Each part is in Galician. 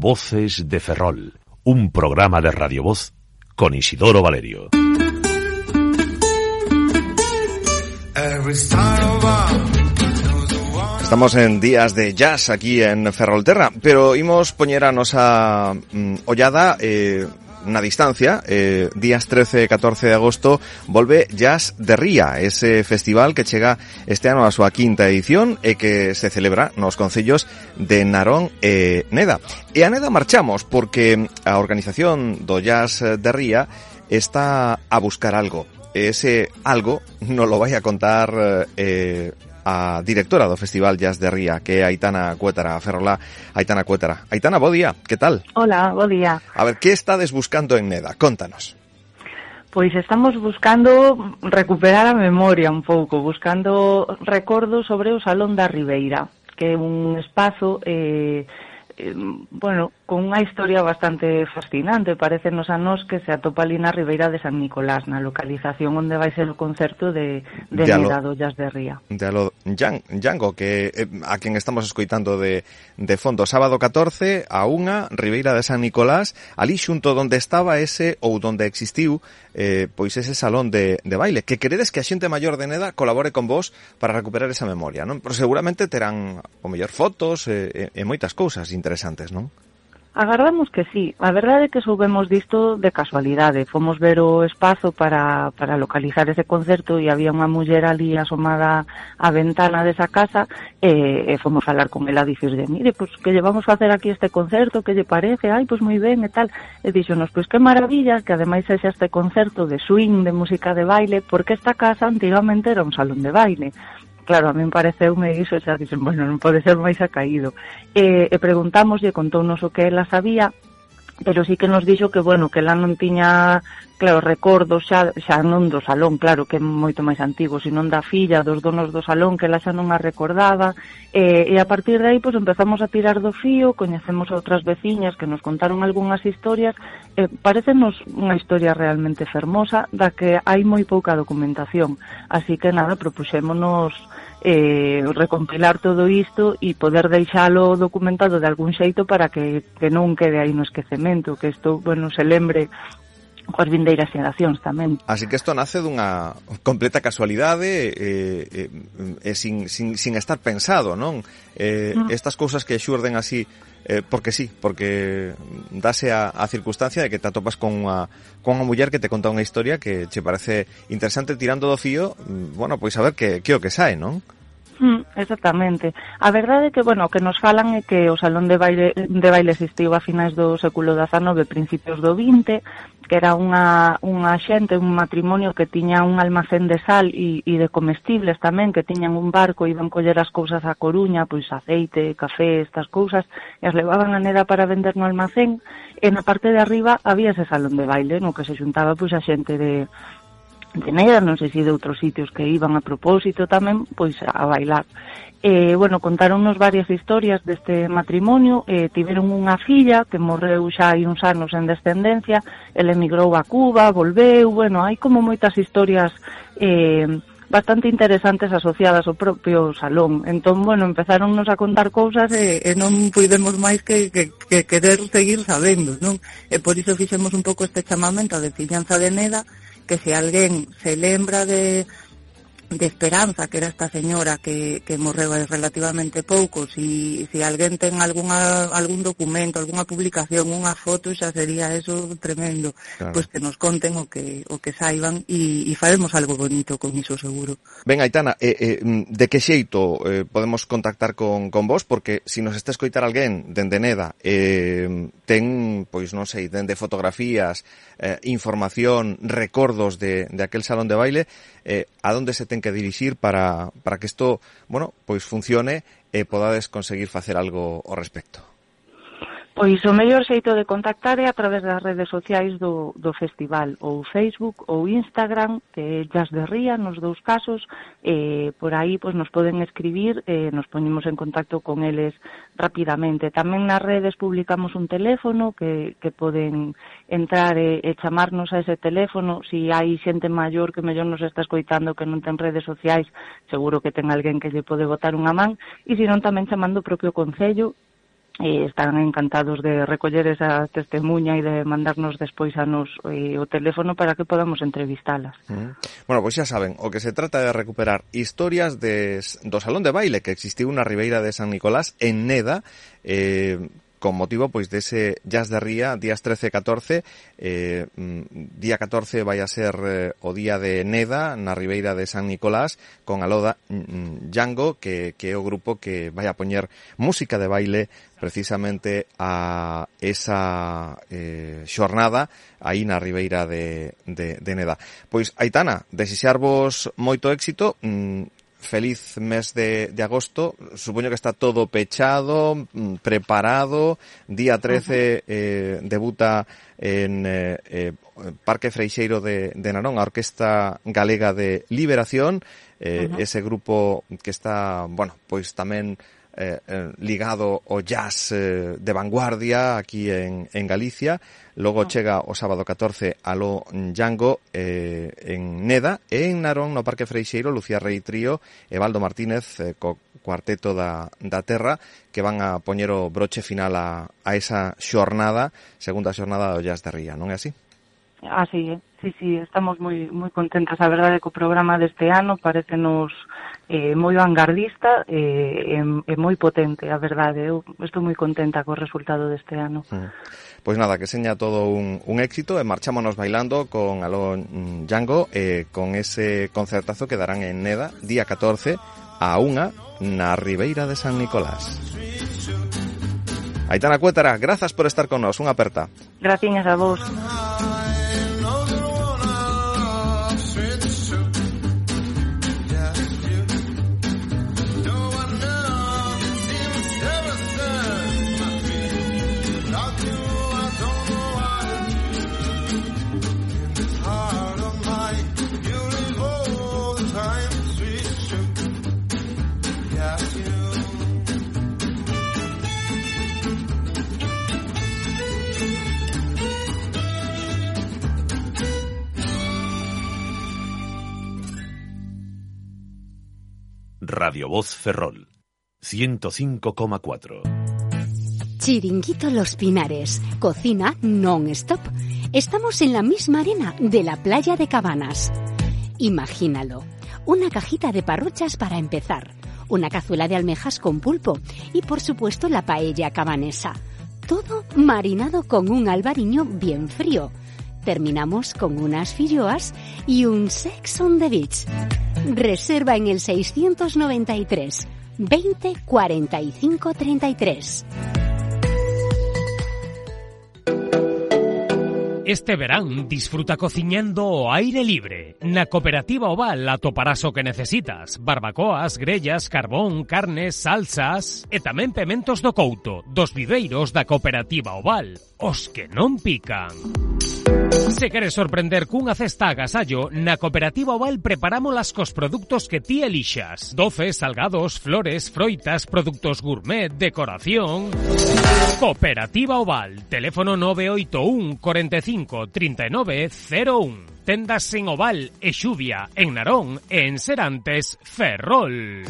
Voces de Ferrol, un programa de Radio Voz con Isidoro Valerio. Estamos en días de jazz aquí en Ferrolterra, pero imos poñer a nosa ollada na distancia. Días 13 e 14 de agosto volve Jazz de Ría, ese festival que chega este ano a súa quinta edición e que se celebra nos concellos de Narón e Neda. E a Neda marchamos porque a organización do Jazz de Ría está a buscar algo. Ese algo nos lo vai a contar a directora do Festival Jazz de Ría, que é Aitana Cuétara, Ferrolá. Aitana Cuétara. Aitana, bo día, que tal? Hola, bo día. A ver, que estades buscando en Neda? Contanos. Pois estamos buscando recuperar a memoria un pouco, buscando recordos sobre o Salón da Ribeira, que é un espazo bueno, con unha historia bastante fascinante. Parécenos a nos que se atopa ali na Ribeira de San Nicolás, na localización onde vai ser o concerto de Neda do Jazz de Ría. De alo Django, que a quen estamos escoitando de fondo, sábado 14 a 1, Ribeira de San Nicolás, ali xunto onde estaba ese, ou onde existiu, pois ese salón de baile, que queredes que a xente maior de Neda colabore con vos para recuperar esa memoria, non? Pero seguramente terán o mellor fotos e moitas cousas interesantes, non? Agardamos que sí. A verdade é que soubemos disto de casualidade. Fomos ver o espazo para localizar ese concerto e había unha muller ali asomada á ventana desa casa e fomos falar con ela a dicirle, mire, pues que lle vamos facer aquí este concerto, que lle parece? Ai, pues moi ben e tal. E dixonos, pues que maravilla que ademais sexa este concerto de swing, de música de baile, porque esta casa antigamente era un salón de baile. Claro, a min pareceume iso, xa dixen, bueno, non pode ser máis acaído. E preguntámoslle, contounos o que ela sabía, pero sí que nos dixo que, bueno, que ela non tiña, claro, recordos xa non do salón, claro, que é moito máis antigo, sino da filla, dos donos do salón, que ela xa non a recordaba, e a partir de aí, pues, empezamos a tirar do fío, coñecemos a outras veciñas que nos contaron algunhas historias, parécenos unha historia realmente fermosa, da que hai moi pouca documentación, así que nada, propuxémonos recompilar todo isto e poder deixalo documentado de algún xeito para que non quede aí no esquecemento, que isto, bueno, se lembre coas vindeiras xeracións tamén. Así que isto nace dunha completa casualidade sin estar pensado, non? Estas cousas que xurden así porque sí, porque dase a circunstancia de que te atopas con unha muller que te conta unha historia que che parece interesante, tirando do fío, bueno, pois a ver que o que sae, non? Exactamente. A verdade é que, bueno, o que nos falan é que o salón de baile existiu a finais do século XIX, principios do XX, que era unha xente, un matrimonio que tiña un almacén de sal e de comestibles tamén, que tiñan un barco e iban coller as cousas a Coruña, pois aceite, café, estas cousas, e as levaban a Neda para vender no almacén, e na parte de arriba había ese salón de baile, no que se xuntaba pois a xente de Neda, non sei se de outros sitios que iban a propósito tamén, pois a bailar. Bueno, contáronnos varias historias deste matrimonio, tiveron unha filla que morreu xa hai uns anos en descendencia, ele emigrou a Cuba, volveu, bueno, hai como moitas historias bastante interesantes asociadas ao propio salón. Entón, bueno, empezáronnos a contar cousas e non puidemos máis que querer seguir sabendo, non? E por iso fixemos un pouco este chamamento a veciñanza de Neda, que se alguén se lembra de Esperanza, que era esta señora que morreu hai relativamente pouco, si alguén ten algún documento, algunha publicación, unha foto, xa sería eso tremendo. Claro. Pois que nos conten o que saiban e faremos algo bonito con iso seguro. Ben, Aitana, de que xeito podemos contactar con vos? Porque se nos está escoitar alguén dende Neda, ten, pois non sei, dende fotografías, información, recordos de aquel salón de baile, a donde se ten que dirixir para que isto, bueno, pois funcione e podades conseguir facer algo ao respecto? Pois o mellor xeito de contactar é a través das redes sociais do festival, ou Facebook ou Instagram, que é Jazz de Ría, nos dous casos, por aí pois nos poden escribir, nos poñemos en contacto con eles rapidamente. Tamén nas redes publicamos un teléfono que poden entrar e chamarnos a ese teléfono. Si hai xente maior que mellor nos está escoitando que non ten redes sociais, seguro que ten alguén que lle pode botar unha man, e se non tamén chamando o propio concello están encantados de recoller esa testemunha e de mandarnos despois a nos o teléfono para que podamos entrevistalas. Bueno, pois xa saben, o que se trata de recuperar historias do Salón de Baile que existiu na Ribeira de San Nicolás en Neda, con motivo pois dese Jazz de Ría, días 13 e 14. Día 14 vai a ser o día de Neda na Ribeira de San Nicolás, con Aloda Django, que é o grupo que vai a poñer música de baile precisamente a esa xornada aí na Ribeira de Neda. Pois, Aitana, desexarvos moito éxito, feliz mes de agosto. Supoño que está todo pechado, preparado. Día 13 debuta en Parque Freixeiro de Narón a Orquesta Galega de Liberación, ese grupo que está, bueno, pois tamén ligado ao jazz de vanguardia aquí en Galicia. Logo chega o sábado 14 Aló Django en Neda, e en Narón, no Parque Freixeiro, Lucía Rei Trío e Baldo Martínez co cuarteto da terra, que van a poñer o broche final a esa xornada, segunda xornada do Jazz de Ría, non é así? Así é, sí, estamos moi contentas. A verdade é que o programa deste ano parecenos moi vanguardista e moi potente, a verdade. Eu estou moi contenta co resultado deste ano. Pois nada, que seña todo un éxito, e marchámonos bailando con Aló Django, con ese concertazo que darán en Neda, día 14 a 1 na Ribeira de San Nicolás. Aitana Cuétara, grazas por estar con nós, unha aperta. Graciñas a vos. Radio Voz Ferrol 105,4. Chiringuito Los Pinares, cocina non-stop. Estamos en la misma arena de la playa de Cabanas. Imagínalo, una cajita de parruchas para empezar, una cazuela de almejas con pulpo y por supuesto la paella cabanesa. Todo marinado con un albariño bien frío. Terminamos con unas filloas y un sex on the beach. Reserva en el 693 20 45 33. Este verán disfruta cociñando ao aire libre. Na Cooperativa Oval atoparás o que necesitas: barbacoas, grellas, carbón, carnes, salsas e tamén pementos do Couto, dos viveiros da Cooperativa Oval, os que non pican. Se queres sorprender cunha cesta agasallo, na Cooperativa Oval preparámolas cos produtos que ti elixas: doces, salgados, flores, froitas, productos gourmet, decoración. Cooperativa Oval, teléfono 981 45 39 01. Tendas en Oval e Xuvia, en Narón e en Serantes, Ferrol.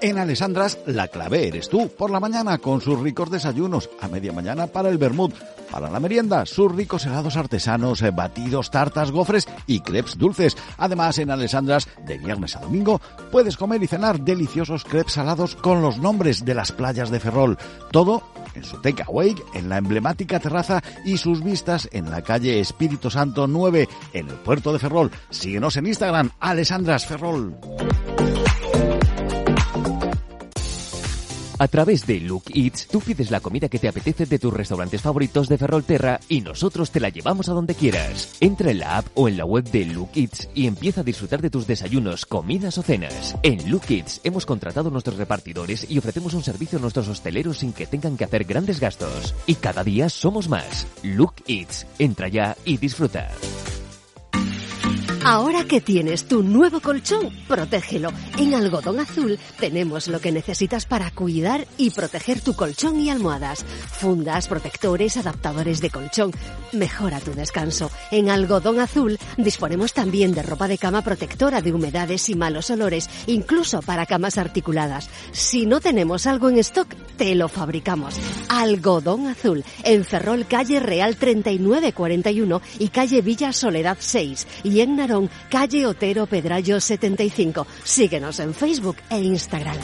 En Alessandras, la clave eres tú. Por la mañana, con sus ricos desayunos. A media mañana, para el vermut. Para la merienda, sus ricos helados artesanos, batidos, tartas, gofres y crepes dulces. Además, en Alessandras, de viernes a domingo, puedes comer y cenar deliciosos crepes salados con los nombres de las playas de Ferrol. Todo en su takeaway, en la emblemática terraza y sus vistas en la calle Espíritu Santo 9, en el puerto de Ferrol. Síguenos en Instagram, Alessandras Ferrol. A través de Look Eats, tú pides la comida que te apetece de tus restaurantes favoritos de Ferrolterra y nosotros te la llevamos a donde quieras. Entra en la app o en la web de Look Eats y empieza a disfrutar de tus desayunos, comidas o cenas. En Look Eats hemos contratado a nuestros repartidores y ofrecemos un servicio a nuestros hosteleros sin que tengan que hacer grandes gastos. Y cada día somos más. Look Eats. Entra ya y disfruta. Ahora que tienes tu nuevo colchón, protégelo. En Algodón Azul tenemos lo que necesitas para cuidar y proteger tu colchón y almohadas. Fundas, protectores, adaptadores de colchón. Mejora tu descanso. En Algodón Azul disponemos también de ropa de cama protectora de humedades y malos olores, incluso para camas articuladas. Si no tenemos algo en stock, te lo fabricamos. Algodón Azul, en Ferrol, calle Real 3941 y calle Villa Soledad 6. Y en Narón, calle Otero Pedrallo 75. Síguenos en Facebook e Instagram.